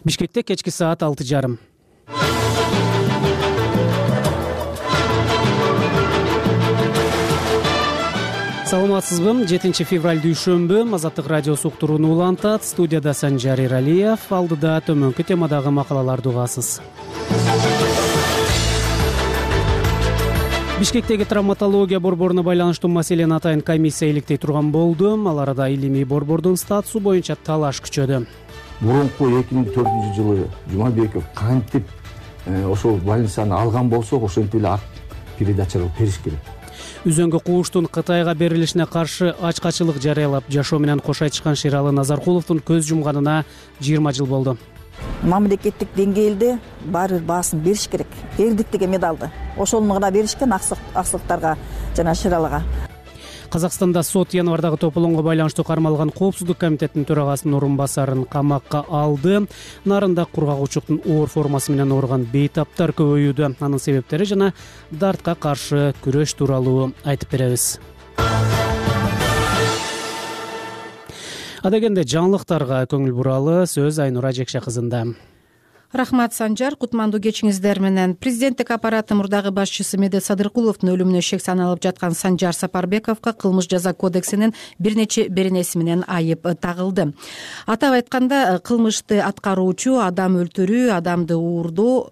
Бишкекте кечки саат 6:30. Саламатсызбы? 7 февраль дүйшөмбү. Азаттык радиосу уктурууну улантат. Студияда Санжар Иралиев. Алдыда төмөнкү темадагы макалаларды угасыз. Бишкектеги травматология борборуна байланыштуу маселени атайын комиссия иликтей турган болду. Ал арада илимий борбордун статусу боюнча талаш күчөдү. Мурунку 2004-жылы Жумабеков кантип ошол больницаны алган болсо, ошентип эле передачалап бериш керек. Үзөңгү кууштун Кытайга берилишине каршы ачкачылык жарыялап, жашоо менен кош айтышкан Шералы Назаркуловдун көз жумганына 20 жыл болду. Мамлекеттик деңгээлде баары бир баасын бериш керек. Эрдиктеги медалды ошону гана беришкен аксылыктарга жана Шералыга. Казакстанда сот январдагы тополоңго байланыштуу кармалган Коопсуздук комитетинин төрагасынын орун басарын камакка алды. Нарында кургагучуктун оор формасы менен ооруган бейтаптар көбөйүүдө. Анын себептери жана дартка каршы күрөш тууралуу айтып беребиз. Адегенде жаңылыктарга көңүл буралы сөз Айнура Жекше кызында. Рахмат, Санжар. Кутмандуу кечиңиздер менен. Президенттик аппараты мурдагы башчысы Медет Садыркуловдун өлүмүнө шек саналып жаткан Санжар Сапарбековго кылмыш жаза кодексинин бир нече беренеси менен айып тагылды. Атап айтканда, кылмышты аткаруучу адам өлтүрүү, адамды уурдоо,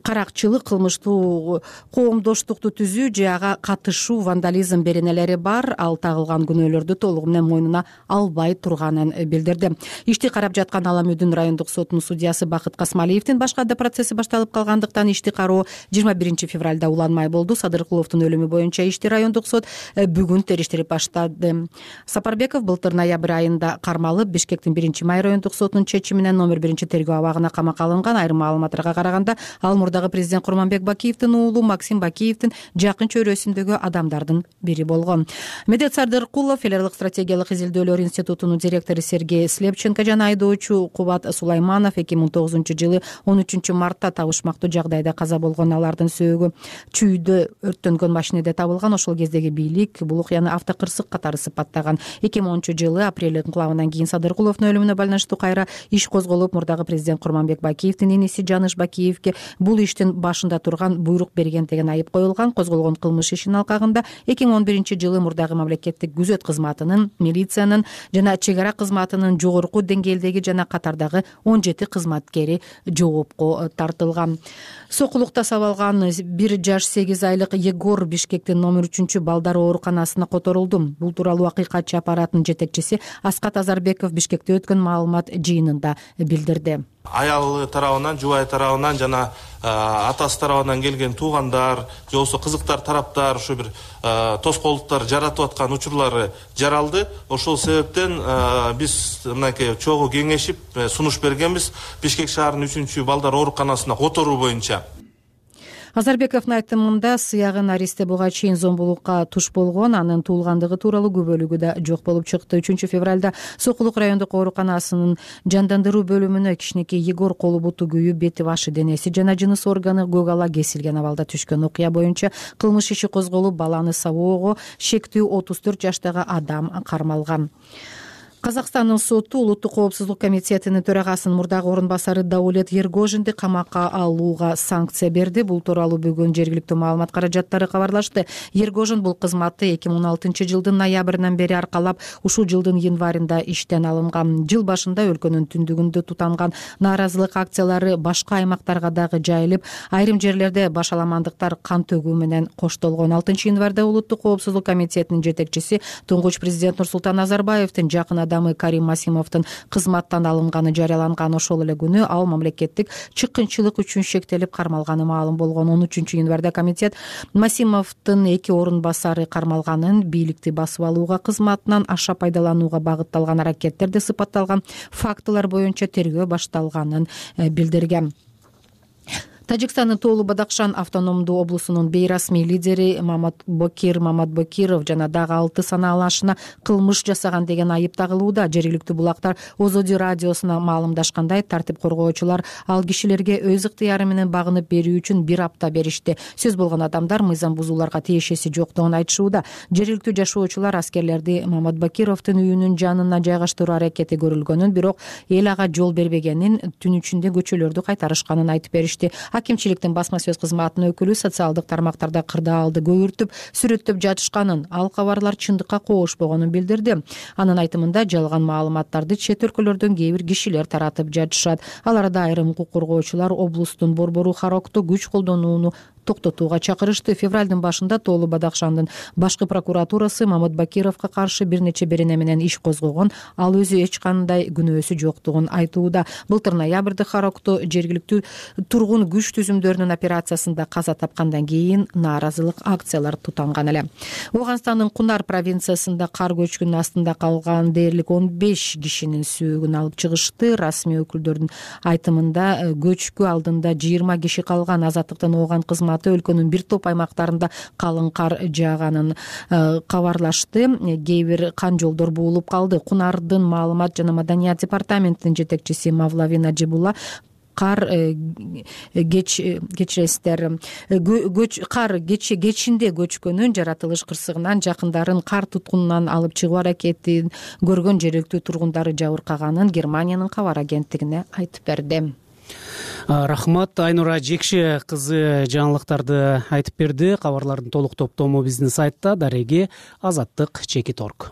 каракчылык, кылмыштуу коомдоштукту түзүү же ага катышуу, вандализм беренелери бар. Ал тагылган күнөөлөрдү толугу менен мойнуна албай турганын билдирди. Ишти карап жаткан Аламүдүн райондук сотунун судьясы Бакыт Касмалиевдин башка да процесси башталып калгандыктан ишти кароо 21 февралда уланмай болду. Садыркуловдун өлүмү боюнча ишти райондук сот бүгүн териштирип баштады. Сапарбеков былтыр ноябрь айында кармалып, Бишкектин 1-май райондук сотунун чечими менен номер 1-тергөө абагына камакка алынган. Айрым маалыматтарга караганда, ал мурдагы президент Курманбек Бакиевдин уулу Максим Бакиевдин жакын чөйрөсүндөгү адамдардын бири болгон. Медет Садыркулов Федералдык стратегиялык изилдөөлөр институтунун директору Сергей Слепченко жана айдоочу Кубат Сулайманов 2009-жылы 13 мартта табышмактуу жагдайда каза болгон. Алардын сөөгү чүйдө өрттөнгөн машинеде табылган. Ошол кездеги бийлик бул окуяны автокырсык катары сыпаттаган. 2010-жылы апрель инкылабынан кийин Садыркуловдун өлүмүнө байланыштуу кайра иш козголуп, мурдагы президент Курманбек Бакиевдин иниси Жаныш Бакиевге бул иштин башында турган буйрук берген деген айып коюлган. Козголгон кылмыш ишинин алкагында 2011-жылы мурдагы мамлекеттик күзөт кызматынын, милициянын жана чек ара кызматынын жогорку деңгээлдеги жана катардагы 17 кызматкери жоопко тартылган. Сокулукта сабалган 1 жаш 8 айлык Егор Бишкектин номер 3 балдар ооруканасына которулду. Бул тууралуу акыйкатчы аппараттын жетекчиси Аскат Азарбеков Бишкекте өткөн маалымат жыйынында билдирди. Аялы тарабынан, жубай тарабынан жана атасы тарабынан келген туугандар, же болбосо кызыктар тараптар ушу бир тоскоолдуктар жаратып аткан учурлары жаралды. Ошол себептен биз мынакей чогуу кеңешип сунуш бергенбиз Бишкек шаарынын 3 балдар ооруканасына которуу боюнча. Азарбековдун айтымында сыягын Аристе буга чейин зомбулукка туш болгон, анын туулгандыгы тууралуу күбөлүгү да жок болуп чыкты. 3 февралда Сокулук райондук ооруканасынын жандандыруу бөлүмүнө кичинекей Егор колу буту күйүп, бети башы денеси жана жыныс органы көк ала кесилген абалда түшкөн. Окуя боюнча кылмыш иши козголуп, баланы сабоого шектүү 34 жаштагы адам кармалган. Казакстандын соту Улуттук коопсуздук комитетинин төрагасынын мурдагы орун басары Даулет Ергожинди камакка алууга санкция берди. Бул тууралуу бүгүн жергиликтүү маалымат каражаттары кабарлашты. Ергожин бул кызматты 2016-жылдын ноябрынан бери аркалап, ушул жылдын январында иштен алынган. Жыл башында өлкөнүн түндүгүндө тутанган нааразылык акциялары башка аймактарга дагы жайылып, айрым жерлерде башаламандыктар кан төгүү менен коштолгон. 6-январда Улуттук коопсуздук комитетинин жетекчиси туңгуч президент Нурсултан Назарбаевдин жакын адамы Карим Масимовдун кызматтан алынганы жарыяланган. Ошол эле күнү ал мамлекеттик чыккынчылык үчүн шектелип кармалганы маалым болгон. 13-январда комитет Масимовдун 2 орун басары кармалганын, бийликти басып алууга, кызматынан аша пайдаланууга багытталган аракеттерде сыпатталган фактылар боюнча тергөө башталганын билдирген. Тажикстандын Тоолу Бадакшан автономдуу облусунун бейрасмий лидери Маматбокир Маматбокиров жана дагы 6 санаалашына кылмыш жасаган деген айып тагылууда. Жергиликтүү булактар Озоди радиосуна маалымдашкандай, тартип коргоочулар ал кишилерге өз ыктыяры менен багынып берүү үчүн 1 апта беришти. Сөз болгон адамдар мыйзам бузууларга тиешеси жоктугун айтышууда. Жергиликтүү жашоочулар аскерлерди Маматбокировдун үйүнүн жанына жайгаштыруу аракети көрүлгөнүн, бирок эл ага жол бербегенин, түн ичинде көчөлөрдү кайтарышканын айтып беришти. Акимчиликтин басма сөз кызматынын өкүлү социалдык тармактарда кырдаалды көйүртүп, сүрөттөп жатышканын, ал кабарлар чындыкка коошпогонун билдирди. Анын айтымында жалган маалыматтарды чет өлкөлөрдөн кээ бир кишилер таратып жатышат. Аларда айрым укук коргоочулар облустун борбору Харокто күч колдонууну токтотууга чакырышты. Февралдын башында Тоолу Бадакшандын башкы прокуратурасы Маматбокировго каршы бир нече берене менен иш козгогон, ал өзү эч кандай күнөөсү жоктугун айтууда. Былтыр ноябрда Харокто жергиликтүү тургун күч түзүмдөрүнүн операциясында каза тапкандан кийин нааразылык акциялар тутанган эле. Ооганстандын Кунар провинциясында кар көчкүнүнүн астында калган дээрлик 15 кишинин сөөгүн алып чыгышты. Расмий өкүлдөрдүн айтымында көчкү алдында 20 киши калган. Азаттыктан ооган кызматы өлкөнүн бир топ аймактарында калың кар жааганын кабарлашты. Кээ бир кан жолдор буулуп калды. Кунардын маалымат жана маданият департаментинин жетекчиси Мавлавина Жибула кар кечинде көчкөнүн жаратылыш кырсыгынан жакындарын кар туткунунан алып чыгуу аракетин көргөн жергиликтүү тургундары жабыркаганын Германиянын кабар агенттигине айтып берди. Рахмат, Айнура Жекше кызы жаңылыктарды айтып берди. Кабарлардын толук топтому биздин сайтта дареги azаттык.org.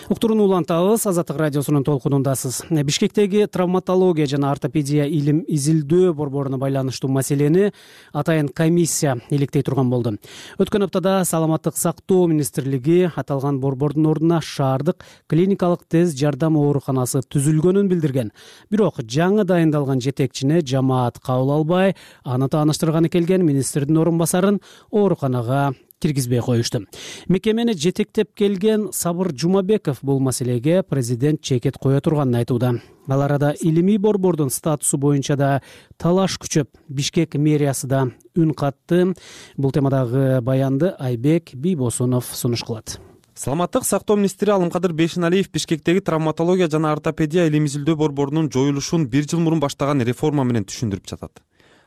Уктурууну улантабыз. Азаттык радиосунун толкунундасыз. Бишкектеги травматология жана ортопедия илим изилдөө борборуна байланыштуу маселени атайын комиссия иликтей турган болду. Өткөн аптада Саламаттык сактоо министрлиги аталган борбордун ордуна шаардык клиникалык тез жардам ооруканасы түзүлгөнүн билдирген. Бирок жаңы дайындалган жетекчине жамаат кабыл албай, аны тааныштырганы келген министрдин орун басарын ооруканага киргизбей коюшту. Мекемени жетектеп келген Сабыр Жумабеков бул маселеге президент чекет кое турганын айтууда. Ал арада илимий борбордун статусу боюнча да талаш күчөп, Бишкек мэриясы да үн катты. Бул темадагы баянды Айбек Бийбосунов сунуш кылат. Саламаттык сактоо министри Алымкадыр Бейшеналиев Бишкектеги травматология жана ортопедия илим изилдөө борборунун жоюлушун 1 жыл мурун баштаган реформа менен түшүндүрүп жатат.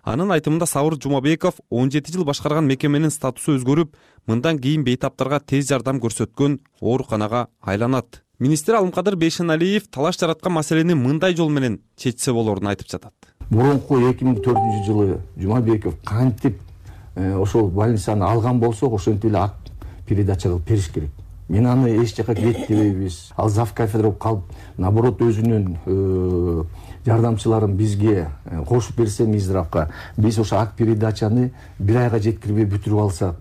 Анын айтымында Сабыр Жумабеков 17 жыл башкарган мекеменин статусу өзгөрүп, мындан кийин бейтаптарга тез жардам көрсөткөн ооруканага айланат. Министр Алымкадыр Бейшеналиев талаш жараткан маселени мындай жол менен чечсе болорун айтып жатат. Мурунку 2004 жылы Жумабеков кантип ошол больницаны алган болсок, ошентип эле ак передача кылып бериш керек. Мен аны эч жака кетпейбиз. Ал зав кафедра болуп калып, наоборот өзүнүн жардамчыларын бизге кошуп берсе Минздравга, биз ошо ак передачаны 1 айга жеткирбей бүтүрүп алсак,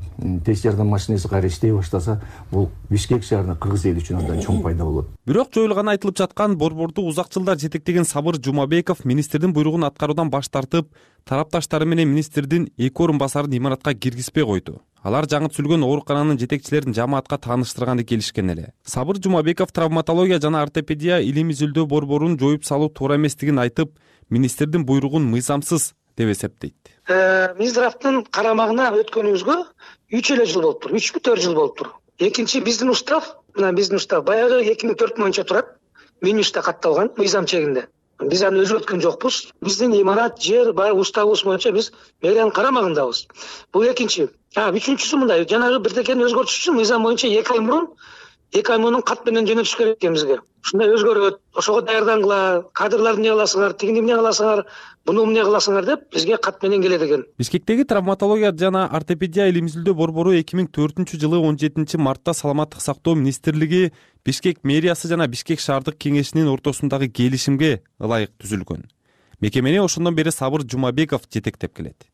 тез жардам машинеси кайра иштей баштаса, бул Бишкек шаарына, кыргыз эли үчүн андан чоң пайда болот. Бирок жоюлганы айтылып жаткан борборду узак жылдар жетектеген Сабыр Жумабеков министрдин буйругун аткаруудан баш тартып, тарапташтары менен министрдин 2 орун басарын имаратка киргизбей койду. Алар жаңы түзүлгөн оорукананын жетекчилерин жамаатка тааныштырганды келишкен эле. Сабыр Жумабеков травматология жана ортопедия илим изилдөө борборун жоюп салуу туура эместигин айтып, министрдин буйругун мыйзамсыз деп эсептейт. Минздравдын карамагына өткөнүбүзгө 3 эле жыл болуптур, 3-4 жыл болуптур. Экинчи биздин устав баягы 2004 боюнча турат. Минюста катталган мыйзам чегинде. Биз аны өзгөрткөн жокпуз. Биздин имарат, жер баягы уставыбыз боюнча биз мэриянын карамагындабыз. Бул экинчи. Үчүнчүсү мындай, жанагы бирдекени өзгөртүш үчүн мыйзам боюнча 2 ай мурун кат менен жөнөтүш керек экен бизге. Ушундай өзгөрөт, ошого даярдангыла, кадрларды эмне кыласыңар, тигини эмне кыласыңар, буну эмне кыласыңар деп бизге кат менен келет экен. Бишкектеги травматология жана ортопедия илим изилдөө борбору 2004 жылы 17 мартта Саламаттык сактоо министрлиги, Бишкек мэриясы жана Бишкек шаардык кеңешинин ортосундагы келишимге ылайык түзүлгөн. Мекемени ошондон бери Сабыр Жумабеков жетектеп келет.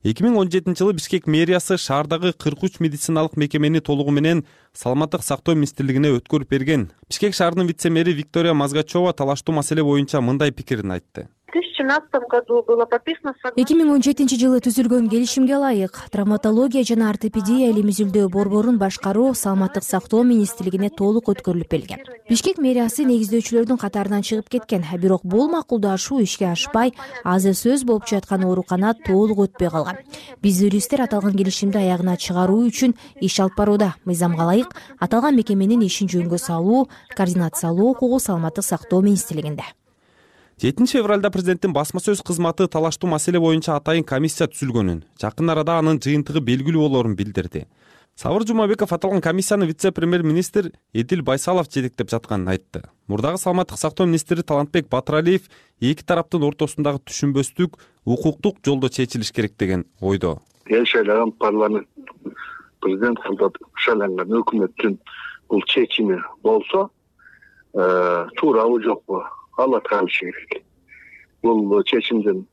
2017 жылы Бишкек мэриясы шаардагы 43 медициналык мекемени толугу менен саламаттык сактоо министрлигине өткөрүп берген. Бишкек шаарынын вице-мэри Виктория Мазгачева талаштуу маселе боюнча мындай пикирин айтты. В 2017 году было подписано 2017 жылы түзүлгөн келишимге ылайык травматология жана ортопедия элимизилдөө борборун башкаруу саламаттык сактоо министрлигине толук өткөрүлүп берилген. Бишкек мэриясы негиздөөчүлөрдүн катарынан чыгып кеткен, бирок бул макулдашуу ишке ашпай, азыр сөз болуп жаткан оорукана толук өтпөй калган. Биз юристтер аталган келишимди аягына чыгаруу үчүн иш алып барууда. Мыйзамга ылайык аталган мекеменин ишин жөнгө салуу, координациялоо укугу саламаттык сактоо министрлигинде. 7 февралда президенттин басма сөз кызматы талаштуу маселе боюнча атайын комиссия түзүлгөнүн, жакын арада анын жыйынтыгы белгилүү болоорун билдирди. Сабыр Жумабеков аталган комиссияны вице-премьер-министр Эдил Байсалов жетектеп жатканын айтты. Мурдагы саламаттык сактоо министри Талантбек Батыралиев эки тараптын ортосундагы түшүнбөстүк укуктук жолдо чечилиш керек деген ойдо. Эл шайланган парламент, президент кылып шайланган өкмөттүн бул чечими болсо, туурабы жокпу? Ал аткарылышы керек. Бул чечимдин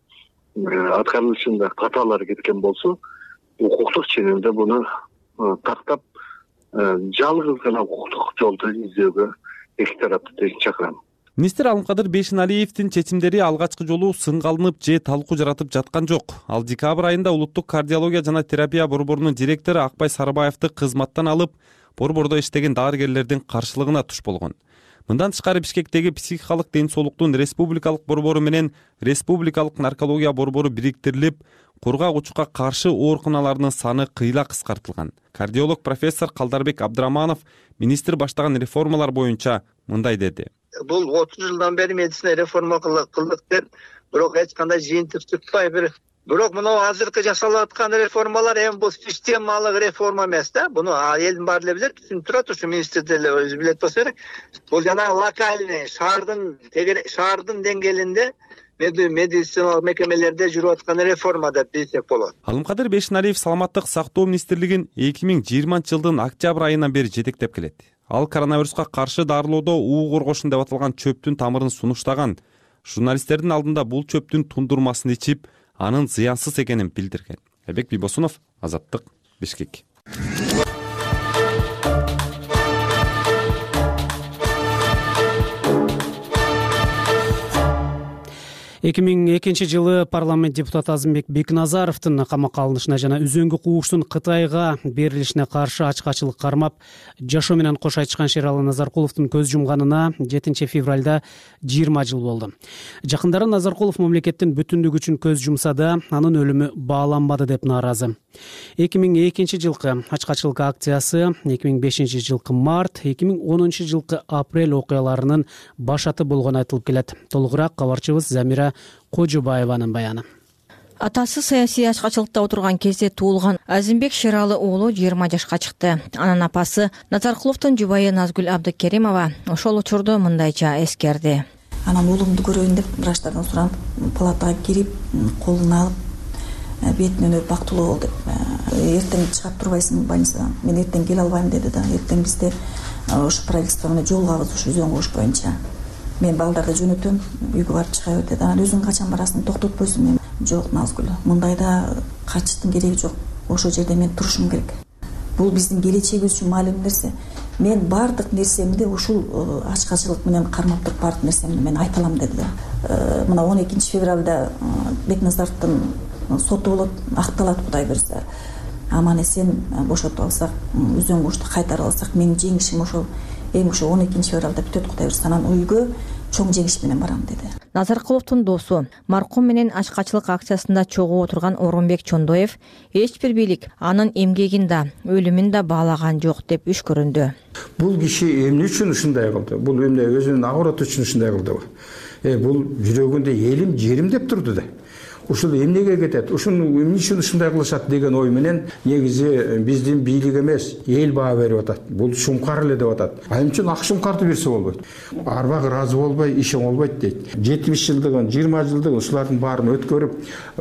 аткарылышында каталар кеткен болсо, укуктук ченемде буну тактап, жалгыз гана укуктук жолду издөөгө эки тарапты чакырам. Министр Алымкадыр Бейшеналиевдин чечимдери алгачкы жолу сынгалынып же талкуу жаратып жаткан жок. Ал декабрь айында улуттук кардиология жана терапия борборунун директору Акбай Сарыбаевди кызматтан алып, борбордо иштеген дарыгерлердин каршылыгына туш болгон. Мындан тышкары Бишкектеги психикалык ден соолуктун республикалык борбору менен республикалык наркология борбору бириктирилип, кургак-учукка каршы ооруканалардын саны кыйла кыскартылган. Кардиолог профессор Калдарбек Абдыраманов министр баштаган реформалар боюнча мындай деди. Бул 30 жылдан бери медицина реформа кылдык деп, бирок эч кандай жыйынтык чыкпай бирок мына азыркы жасалып аткан реформалар эми бул системалык реформа эмес да. Буну элдин баары эле билет, түшүнүп турат, ушу министр деле өзү билет болсо керек. Бул жана локальный шаардын деңгээлинде медициналык мекемелерде жүрүп аткан реформа деп билсек болот. Алымкадыр Бейшеналиев саламаттык сактоо министрлигин 2020 жылдын октябрь айынан бери жетектеп келет. Ал коронавируска каршы дарылоодо уу коргошун деп аталган чөптүн тамырын сунуштаган. Журналисттердин алдында бул чөптүн тундурмасын ичип, анын зыянсыз экенин билдирген. Айбек Бибосунов, Азаттык, Бишкек. 2002 жылы парламент депутаты Азымбек Бекназаровдун камакка алынышына жана үзөңгү кууштун Кытайга берилишине каршы ачкачылык кармап, жашоо менен кош айтышкан Шералы Назаркуловдун көз жумганына 7 февралда 20 жыл болду. Жакындары Назаркулов мамлекеттин бүтүндүгү үчүн көз жумса да, анын өлүмү бааланбады деп нааразы. 2002 жылкы ачкачылык акциясы 2005 жылкы март, 2010 жылкы апрель окуяларынын башаты болгону айтылып келет. Толугураак кабарчыбыз Замира Кожобаеванын баяны. Атасы саясий ачкачылыкта отурган кезде туулган Азимбек Шералы уулу 20 жашка чыкты. Анын апасы Назаркуловдун жубайы Назгүл Абдыкеримова ошол учурду мындайча эскерди. Анан уулумду көрөйүн деп врачтардан суранып, палатага кирип, колун алып, бетинен өп бактылуу бол деп. Эртең чыгап турбайсың больницадан. Мен эртең келе албайм деди да. Эртең бизде ошо правительство менен жол кабыз ушу үзөң кууш боюнча. Мен балдарды жөнөтөм, үйгө барып чыга бер деди. Анан өзүң качан барасың, токтотпойсуң? Мен жок Назгүл, мындайда качыштын кереги жок. Ошол жерде мен турушум керек. Бул биздин келечегибиз үчүн маалым нерсе. Мен бардык нерсемди ушул ачкачылык менен кармап туруп бардык нерсемди мен айта алам деди да. Мына 12 февралда Бекназаровдун соту болот, акталат Кудай берсе. Аман эсен бошотуп алсак, үзөң куушту кайтарып алсак, менин жеңишим ошол эми ошо 12 февралда бүтөт Кудай берсе. Анан үйгө чоң жеңиш менен барам деди. Назаркуловдун досу, маркум менен ачкачылык акциясында чогуу отурган Орунбек Чондоев эч бир бийлик анын эмгегин да, өлүмүн да баалаган жок деп үшкөрүндү. Бул киши эмне үчүн ушундай кылды? Бул эмне өзүнүн агороты үчүн ушундай кылдыбы? Бул жүрөгүндө элим, жерим деп турду да. Ушул эмнеге кетет? Ушуну эмне үчүн ушундай кылышат деген ой менен негизи биздин бийлик эмес, эл баа берип атат. Бул шумкар эле деп атат. Ал үчүн ак шумкарды берсе болбойт. Арбак ыраазы болбой, иш оңолбойт дейт. 70 жылдыгын, 20 жылдыгын ушулардын баарын өткөрүп,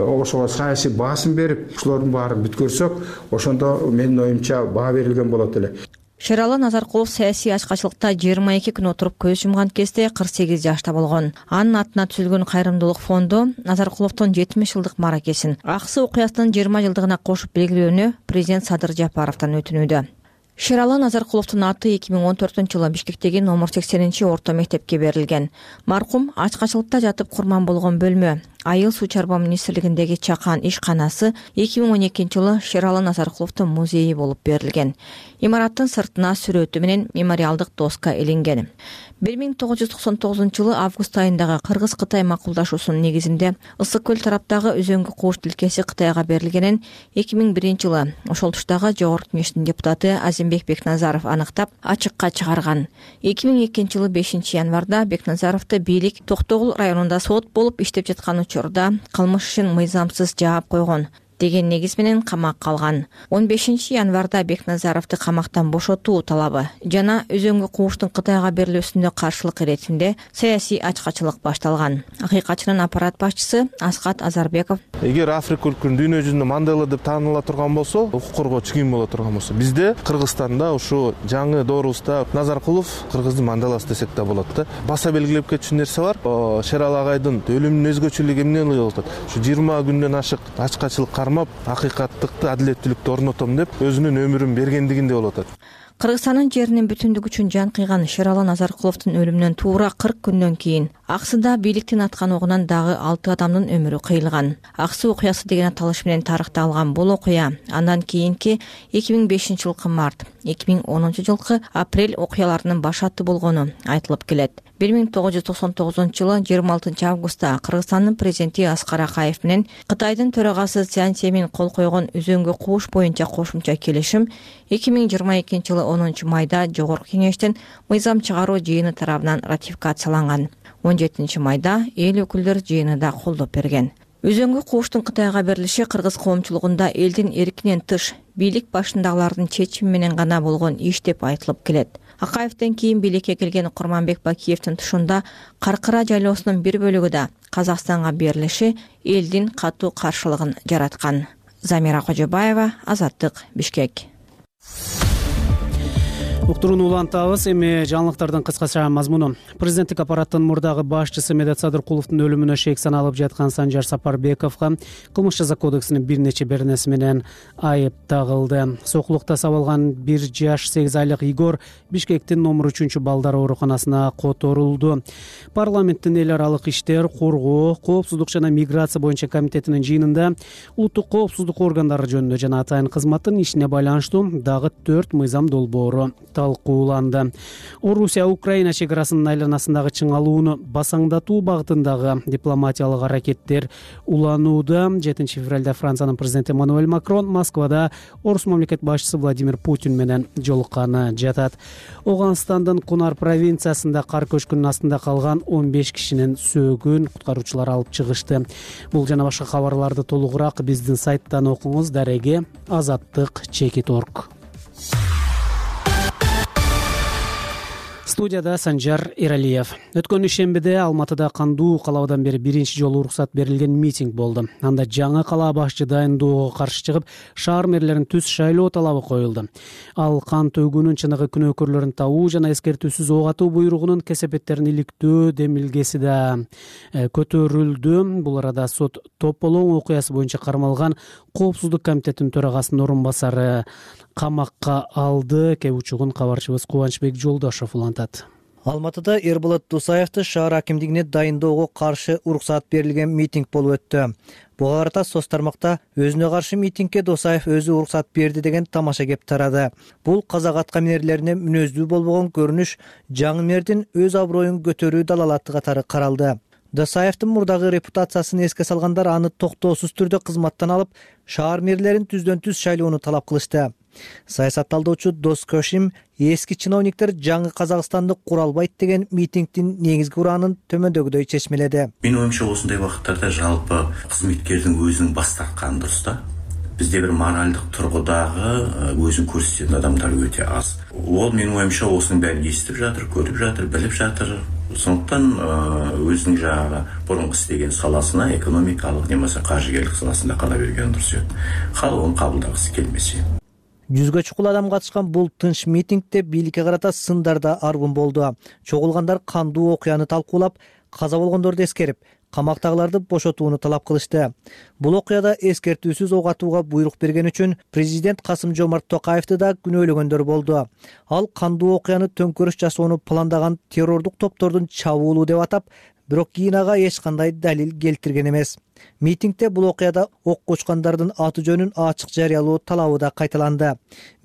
ошого саясий баасым берип, ушулардын баарын бүткөрсөк, ошондо менин оюмча баа берилген болот эле. Шералы Назаркулов саясий ачкачылыкта 22 күн отуруп көз жумган кезде 48 жашта болгон. Анын атына түзүлгөн кайрымдуулук фонду Назаркуловдун 70 жылдык мааракесин Аксы окуясынын 20 жылдыгына кошуп белгилөөнү президент Садыр Жапаровдон өтүнүүдө. Шералы Назаркуловдун аты 2014-жылы Бишкектеги номер 80-орто мектепке берилген. Маркум ачкачылыкта жатып курман болгон бөлмө Айыл суу чарба министрлигиндеги чакан ишканасы 2012-жылы Шералы Назаркуловдун музейи болуп берилген. Имараттын сыртына сүрөтү менен мемориалдык доска илинген. 1999-жылы август айындагы Кыргыз-Кытай макулдашуусунун негизинде Ысык көл тараптагы Өзөңгү кууш тилкеси Кытайга берилгенин 2001-жылы ошол туштагы Жогорку Кеңештин депутаты Азимбек Бекназаров аныктап ачыкка чыгарган. 2002-жылы 5-январда Бекназаровду бийлик Токтогул районунда сот болуп иштеп жаткан учурда кылмыш ишин мыйзамсыз жаап койгон деген негиз менен камакка алган. 15-январда Бекназаровду камактан бошотуу талабы жана Өзөңгү кууштун Кытайга берилүүсүнө каршылык иретинде саясий ачкачылык башталган. Акыйкатчынын аппарат башчысы Аскат Азарбеков: Эгер Африка өлкөнүн дүйнө жүзүндө Мандела деп тааныла турган болсо, укук коргоочу ким боло турган болсо, бизде Кыргызстанда ушу жаңы доорубузда Назаркулов Кыргыздын Манделасы десек да болот да. Баса белгилеп кетчү нерсе бар. Шералы агайдын өлүмүнүн өзгөчөлүгү эмне болот? Ушу 20 күндөн ашык ачкачылык кармап, акыйкаттыкты, адилеттүүлүктү орнотом деп өзүнүн өмүрүн бергендигинде болот. Кыргызстандын жеринин бүтүндүгү үчүн жан кыйган Шералы Назаркуловдун өлүмүнөн туура 40 күндөн кийин Аксыда бийликтин аткан огунан дагы 6 адамдын өмүрү кыйылган. Аксы окуясы деген аталыш менен тарыхта алган бул окуя андан кийинки 2005-жылкы март, 2010-жылкы апрель окуяларынын башаты болгону айтылып келет. 1999-жылы 26-августта Кыргызстандын президенти Аскар Акаев менен Кытайдын төрагасы Цзян Цземин кол койгон Өзөңгү кууш боюнча кошумча келишим 2022-жылы 10-майда Жогорку Кеңештин мыйзам чыгаруу жыйыны тарабынан ратификацияланган. 17-майда эл өкүлдөр жыйыны да колдоп берген. Өзөңгү кууштун Кытайга берилиши кыргыз коомчулугунда элдин эркинен тыш бийлик башындагылардын чечими менен гана болгон иш деп айтылып келет. Акаевден кийин бийликке келген Курманбек Бакиевдин тушунда Каркыра жайлоосунун бир бөлүгү да Казакстанга берилиши элдин катуу каршылыгын жараткан. Замира Кожобаева, Азаттык, Бишкек. Уктурууну улантабыз. Эми жаңылыктардын кыскача мазмуну. Президенттик аппараттын мурдагы башчысы Медет Садыркуловдун өлүмүнө шек саналып жаткан Санжар Сапарбековго кылмыш жаза кодексинин бир нече беренеси менен айып тагылды. Сокулукта сабалган 1 жаш 8 айлык Игор Бишкектин номер 3 балдар ооруканасына которулду. Парламенттин эл аралык иштер, коргоо, коопсуздук жана миграция боюнча комитетинин жыйынында улуттук коопсуздук органдары жөнүндө жана атайын кызматтын ишине байланыштуу дагы 4 мыйзам долбоору талкууланды. Орусия Украина чек арасынын айланасындагы чыңалууну басаңдатуу багытындагы дипломатиялык аракеттер уланууда. 7 февралда Франциянын президенти Эммануэль Макрон Москвада орус мамлекет башчысы Владимир Путин менен жолукканы жатат. Оганстандын Кунар провинциясында кар көчкүнүнүн астында калган 15 кишинин сөөгүн куткаруучулар алып чыгышты. Бул жана башка кабарларды толугураак биздин сайттан окуңуз. Дареге azattik.org. Студияда Санжар Эралиев. Өткөн ишембиде Алматыда кандуу калабадан бери биринчи жолу уруксат берилген митинг болду. Анда жаңы калаа башчы дайындоого каршы чыгып, шаар мэрлерин түз шайлоо талабы коюлду. Ал кан төгүүнүн чыныгы күнөөкөрлөрүн табуу жана эскертүүсүз ок атуу буйругунун кесепеттерин иликтөө демилгеси да көтөрүлдү. Бул арада сот Тополоң окуясы боюнча кармалган Коопсуздук комитетинин төрагасынын орун басары камакка алды. Кеп учугун кабарчыбыз Кубанычбек Жолдошов улантат. Алматыда Эрболот Дусаевди шаар акимдигине дайындоого каршы уруксат берилген митинг болуп өттү. Буга карата соц тармакта өзүнө каршы митингке Дусаев өзү уруксат берди деген тамаша кеп тарады. Бул казак аткаминерлерине мүнөздүү болбогон көрүнүш жаңы мэрдин өз аброюн көтөрүү далалаты катары каралды. Досаевдин мурдагы репутациясын эске салгандар аны токтоосуз түрдө кызматтан алып, шаар мэрлерин түздөн түз шайлоону талап кылышты. Саясат талдоочу Дос Көшим эски чиновниктер жаңы Казакстанды кура албайт деген митингдин негизги ураанын төмөндөгүдөй чечмеледи. Менин оюмча осундай убакыттарда жалпы кызматкердин өзүнүн баш тартканы дурус да. Бизде бир моралдык тургудагы өзүн көрсөтөт адамдар өтө аз. Ол менин оюмча осунун баарын эстип жатыр, көрүп жатыр, билип жатыр. Сондуктан өзүнүн жагы мурунку иштеген саласына, экономикалык немесе каржыгерлик саласында кала берген дурус. Халык аны кабылдагысы келмесе. Жүзгө чукул адам катышкан бул тынч митингде бийликке карата сындар да аргын болду. Чогулгандар кандуу окуяны талкуулап, каза болгондорду эскерип, камактагыларды бошотууну талап кылышты. Бул окуяда эскертүүсүз ок атууга буйрук берген үчүн президент Касым-Жомарт Токаевди да күнөөлөгөндөр болду. Ал кандуу окуяны төңкөрүш жасоону пландаган террордук топтордун чабуулу деп атап, бирок кийин ага эч кандай далил келтирген эмес. Митингде бул окуяда ок кочкондордун аты жөнүн ачык жарыялоо талабы да кайталанды.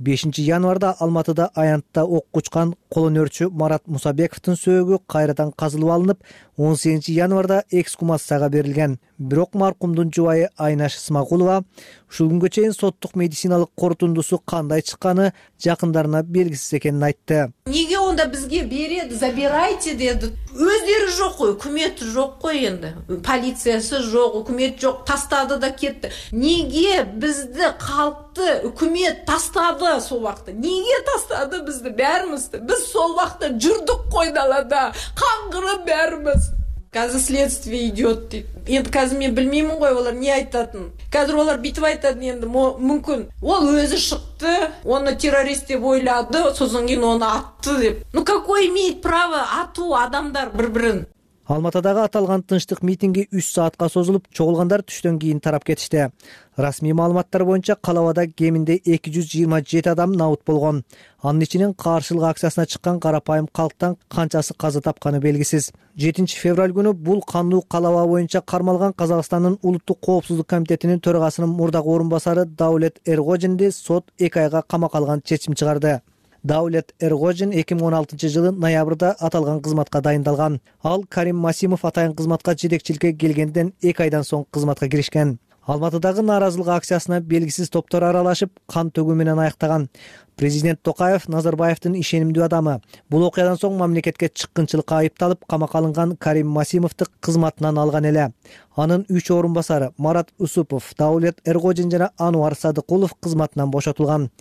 5 январда Алматыда аянтта ок кучкан колонөрчү Марат Мусабековдун сөөгү кайрадан казылып алынып, 18 январда эксгумацияга берилген. Бирок маркумдун жубайы Айнаш Исмагулова ушул күнгө чейин соттук медициналык корутундусу кандай чыкканы жакындарына белгисиз экенин айтты. Неге онда бизге берет, забирайте деди. Өздөрү жок кой, өкмөт жок кой энди. Полициясы жок, өкмөт жок, тастады да кетти. Неге бизди калкты өкмөт тастады сол убакта? Неге тастады бизди баарыбызды? Биз сол убакта жүрдүк кой далада, каңгырып баарыбыз. Казыр следствие идет дейт. Енді қазір мен білмеймін ғой олар не айтатын. Қазір олар бүйтіп айтады енді мүмкін. Ол өзі шықты, оны террорист деп ойлады, сосын кейін оны атты деп. Ну какой имеет право ату адамдар бір-бірін? Алматыдагы аталган тынчтык митинги 3 саатка созулуп, чогулгандар түштөн кийин тарап кетишти. Расмий маалыматтар боюнча калабада кеминде 227 адам набыт болгон. Анын ичинен каршылык акциясына чыккан карапайым калктан канчасы каза тапканы белгисиз. 7 февраль күнү бул кандуу калаба боюнча кармалган Казакстандын Улуттук коопсуздук комитетинин төрагасынын мурдагы орун басары Даулет Эргожинди сот 2 айга камакка алган чечим чыгарды. Даулет Эргожин 2016 жылы ноябрда аталган кызматка дайындалган. Ал Карим Масимов атайын кызматка жетекчиликке келгенден 2 айдан соң кызматка киришкен. Алматыдагы нааразылык акциясына белгисиз топтор аралашып, кан төгүү менен аяктаган. Президент Токаев Назарбаевдин ишенимдүү адамы. Бул окуядан соң мамлекетке чыккынчылыкка айыпталып, камакка алынган Карим Масимовду кызматынан алган эле. Анын 3 орун басары Марат Усупов, Даулет Эргожин жана Ануар Садыкулов кызматынан бошотулган.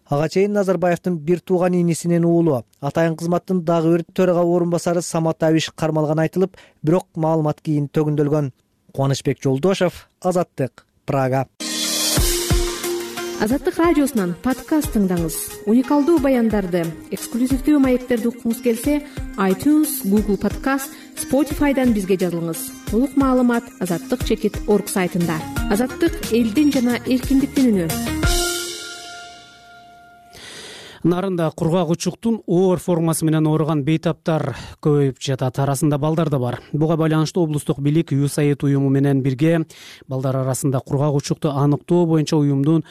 Ага чейин Назарбаевдин бир тууган инисинин уулу, атайын кызматтын дагы бир төрага орун басары Самат Абиш кармалган айтылып, бирок маалымат кийин төгүндөлгөн. Кубанычбек Жолдошев, Азаттык, Прага. Азаттык радиосунан подкаст тыңдаңыз. Уникалдуу баяндарды, эксклюзивдүү маектерди уккуңуз келсе, iTunes, Google Podcast, Spotify'дан бизге жазылыңыз. Толук маалымат azattik.org сайтында. Азаттык элдин жана эркиндиктин үнү. Нарында кургак учуктун оор формасы менен ооруган бейтаптар көбөйүп жатат. Арасында балдар да бар. Буга байланыштуу облустук бийлик USAID уюму менен бирге балдар арасында кургак учукту аныктоо боюнча уюмдун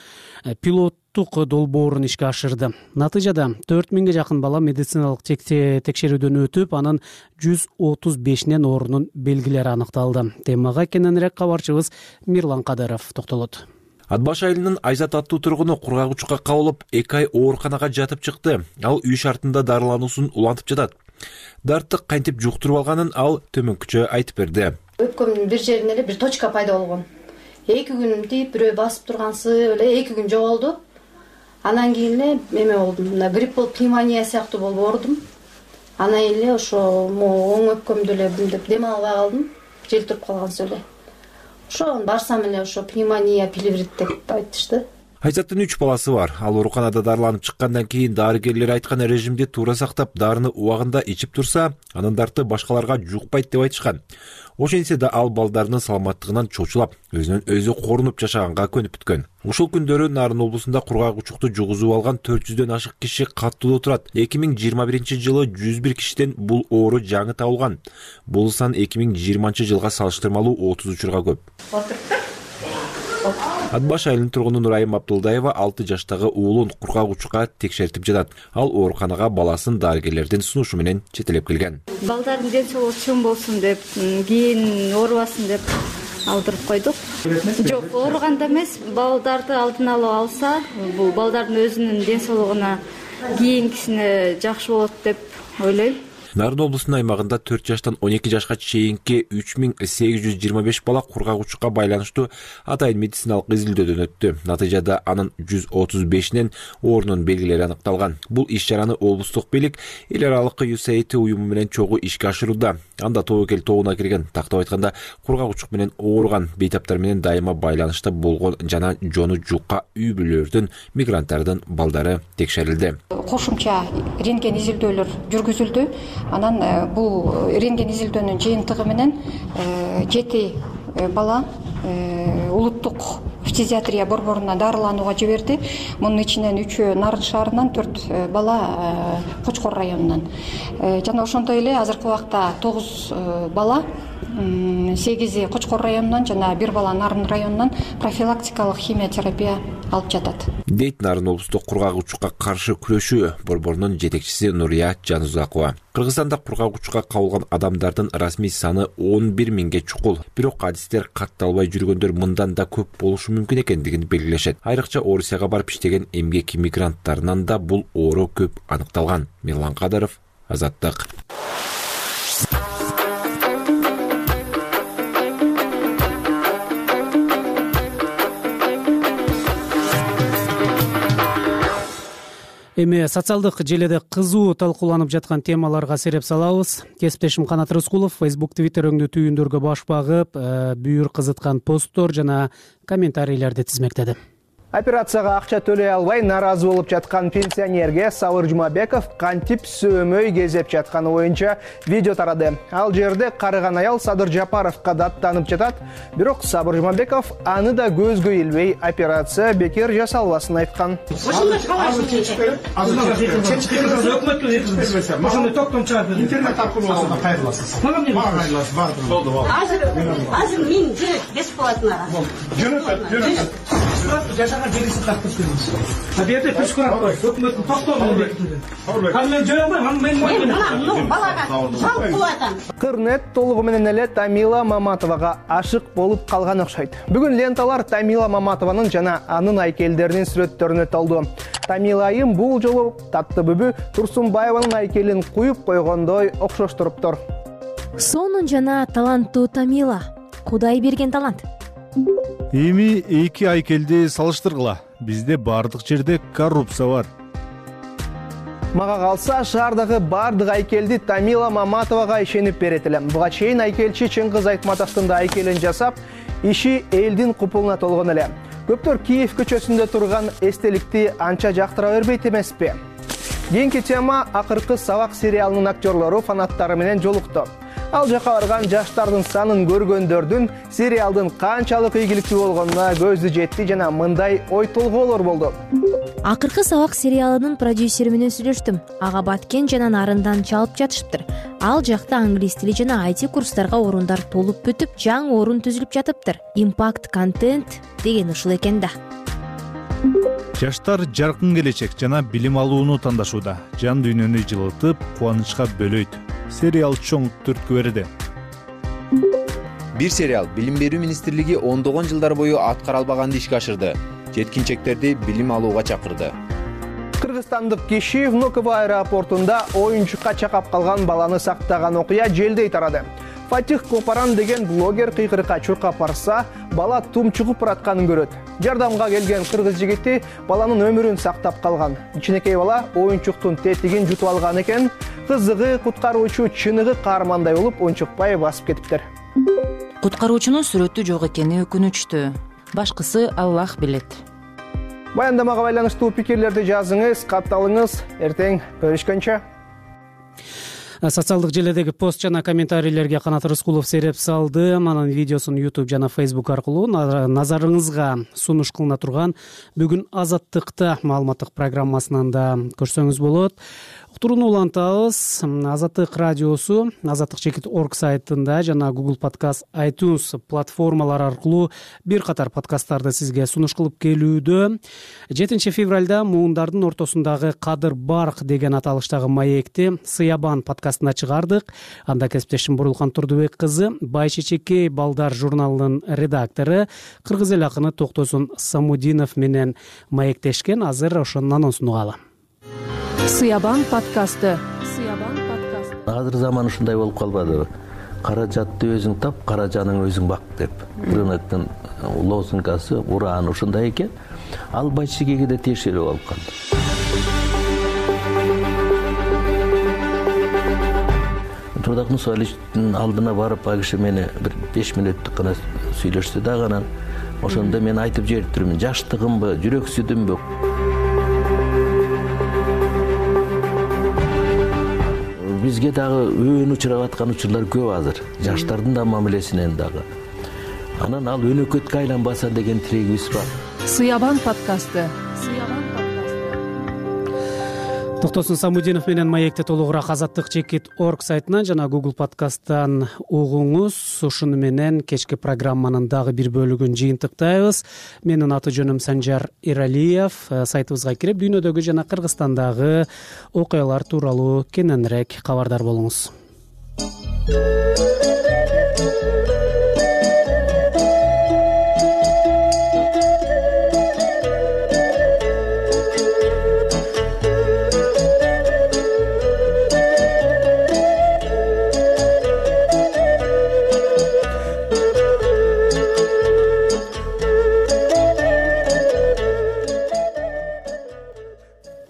пилоттук долбоорун ишке ашырды. Натыйжада 4000ге жакын бала медициналык текшерүүдөн өтүп, анын 135нен оорунун белгилери аныкталды. Темага кененирээк кабарчыбыз Мирлан Кадыров токтолот. Ат Баш айылынын Айзат аттуу тургуну кургак учукка кабылып, 2 ай ооруканага жатып чыкты. Ал үй шартында дарылануусун улантып жатат. Дартты кантип жуктуруп алганын ал төмөнкүчө айтып берди. Өпкөмдүн бир жеринде эле бир точка пайда болгон. 2 күн тип бирөө басып тургансы эле 2 күн жоголду. Анан кийин эле эме болдум. Мына грипп болуп, пневмония сыяктуу болуп оорудум. Анан эле ошо оң өпкөмдү эле дем албай калдым. Жел туруп калгансыз эле. Ошо барсам эле ошо пневмония, пилеврит деп айтышты. Айзаттын 3 баласы бар. Ал ооруканада дарыланып чыккандан кийин дарыгерлер айткан режимди туура сактап, дарыны убагында ичип турса, анын дарты башкаларга жукпайт деп айтышкан. Ошентсе да ал балдарынын саламаттыгынан чочулап, өзүнөн өзү корунуп жашаганга көнүп бүткөн. Ушул күндөрү Нарын облусунда кургак учукту жугузуп алган 400дөн ашык киши каттуу турат. 2021-жылы 101 кишиден бул оору жаңы табылган. Бул сан 2020-жылга салыштырмалуу 30 учурга көп. Ат Баш айылынын тургуну Нурайым Абдулдаева 6 жаштагы уулун кургак учукка текшертип жатат. Ал ооруканага баласын дарыгерлердин сунушу менен четелеп келген. Балдардын ден соолугу чоң болсун деп, кийин оорубасын деп алдырып койдук. Жок, ооруганда эмес, балдарды алдын алып алса, бул балдардын өзүнүн ден соолугуна кийинкисине жакшы болот деп ойлойм. Нарын облусунун аймагында 4 жаштан 12 жашка чейинки 3825 бала кургак учукка байланыштуу атайын медициналык изилдөөдөн өттү. Натыйжада анын 135нен оорунун белгилери аныкталган. Бул иш-чараны облустук бийлик эл аралык USAID уюму менен чогуу ишке ашырууда. Анда тобокел тобуна кирген, тактап айтканда, кургак учук менен ооруган бейтаптар менен дайыма байланышта болгон жана жону жукка үй бүлөлөрдүн, мигранттардын балдары текшерилди. Кошумча рентген изилдөөлөр жүргүзүлдү. Анан бул рентген изилдөөнүн жыйынтыгы менен 7 бала улуттук фтизиатрия борборуна дарыланууга жиберди. Мунун ичинен 3-өө Нарын шаарынан, 4 бала Кочкор районунан. Жана ошондой эле азыркы убакта 9 бала, 8 Кочкор районунан жана 1 бала Нарын районунан профилактикалык химиотерапия алып жатат. Дейт Нарын облустук кургагучукка каршы күрөшүү борборунун жетекчиси Нурия Жанузакова. Кыргызстанда кургагучукка кабылган адамдардын расмий саны 11 миңге чукул. Бирок адистер катталбай жүргөндөр мындан да көп болушу мүмкүн экендигин белгилешет. Айрыкча Орусияга барып иштеген эмгек мигранттарынан да бул оору көп аныкталган. Мирлан Кадыров, Азаттык. Эми социалдык желеде кызуу талкууланып жаткан темаларга сереп салабыз. Кесиптешим Канат Рыскулов Facebook, Twitter өңдүү түйүндөргө баш багып, бүйүр кызыткан посттор жана комментарийлерди тизмектеди. Операцияга акча төлөй албай нааразы болуп жаткан пенсионерге Сабыр Жумабеков кантип сөөмөй кезеп жатканы боюнча видео тарады. Ал жерде карыган аял Садыр Жапаровго даттанып жатат, бирок Сабыр Жумабеков аны да көзгө илбей операция бекер жасалбасын айткан. Ошондой токтом чыгат. Интернет аркылуу кайрыласыз. Азыр мен бесплатно. Жашаган жерисин тартып беребиз. Табиятты күчкөрөп кой. Өкмөттүн токтомун бекитилген. Мен жөө албайм, мен балага салып кылатам. Кырнет толугу менен эле Тамила Маматовага ашык болуп калган окшойт. Бүгүн ленталар Тамила Маматованын жана анын айкелдеринин сүрөттөрүнө толду. Тамила айым бул жолу Таттыбүбү Турсунбаеванын айкелин куюп койгондой окшоштуруптур. Сонун жана таланттуу Тамила. Кудай берген талант. Эми эки айкелди салыштыргыла. Бизде бардык жерде коррупция бар. Мага калса, шаардагы бардык айкелди Тамила Маматовага ишенип берет элем. Буга чейин айкелчи Чыңгыз Айтматовдун да айкелин жасап, иши элдин купулуна толгон эле. Көптөр Киев көчөсүндө турган эстеликти анча жактыра бербейт эмеспи? Кийинки тема акыркы сабак сериалынын актерлору фанаттары менен жолукту. Ал жака барган жаштардын санын көргөндөрдүн сериалдын канчалык ийгиликтүү болгонуна көзү жетти жана мындай ой толгоолор болду. Акыркы сабак сериалынын продюсери менен сүйлөштүм. Ага Баткен жана Нарындан чалып жатышыптыр. Ал жакта англис тили жана IT курстарга орундар толуп бүтүп, жаңы орун түзүлүп жатыптыр. Impact контент деген ушул экен да. Жаштар жаркын келечек жана билим алууну тандашууда. Жан дүйнөнү жылытып, кубанычка бөлөйт. Сериал чоң түрткү берди. Бир сериал Билим берүү министрлиги ондогон жылдар бою аткара албаганды ишке ашырды. Жеткинчектерди билим алууга чакырды. Кыргызстандык киши Внуково аэропортунда оюнчукка чакап калган баланы сактаган окуя желдей тарады. Фатих Копаран деген блогер кыйкырыкка чуркап барса, бала тумчугуп баратканын көрөт. Жардамга келген кыргыз жигити баланын өмүрүн сактап калган. Кичинекей бала оюнчуктун тетигин жутуп алган экен. Кызыгы куткаруучу чыныгы каармандай болуп унчукпай басып кетиптир. Куткаруучунун сүрөтү жок экени өкүнүчтүү. Башкысы Аллах билет. Баяндамага байланыштуу пикирлерди жазыңыз, катталыңыз. Эртең көрүшкөнчө. Социалдык желедеги пост жана комментарийлерге Канат Рыскулов сереп салды. Анын видеосун YouTube жана Facebook аркылуу назарыңызга сунуш кылына турган бүгүн Азаттыкта маалыматтык программасынан да көрсөңүз болот. Уктурууну улантабыз. Азаттык радиосу azattik.org сайтында жана Google Podcast, iTunes платформалары аркылуу бир катар подкасттарды сизге сунуш кылып келүүдө. 7 февралда муундардын ортосундагы Кадыр Барк деген аталыштагы маекти Сыябан подкастына чыгардык. Анда кесиптешим Бурулхан Турдубек кызы Байчечекей балдар журналынын редактору кыргыз эл акыны Токтосун Самудинов менен маектешкен. Азыр ошонун анонсун угалы. Сыябан подкасты. Азыр заман ушундай болуп калбадыбы? Каражатты өзүң тап, каражаның өзүң бак деп. Рыноктун лозунгасы, урааны ушундай экен. Ал Байчечекейге да тиешелүү болуп калды. Турдак Мусаличтин алдына барып, ал киши мени бир 5 мүнөттүк гана сүйлөштү да, анан ошондо мен айтып жибериптирмин, жаштыгымбы, жүрөксүдүмбү. Биз бизге дагы өбөн учурап аткан учурлар көп азыр, жаштардын да мамилесинен дагы. Анан ал өнөкөткө айланбаса деген тилегибиз бар. Сыябан подкасты. Токтосун Самудинов менен маекти толугураак азаттык.org сайтынан жана Google подкасттан угуңуз. Ушуну менен кечки программанын дагы бир бөлүгүн жыйынтыктайбыз. Менин аты жөнүм Санжар Иралиев. Сайтыбызга кирип, дүйнөдөгү жана Кыргызстандагы окуялар тууралуу кененирээк кабардар болуңуз.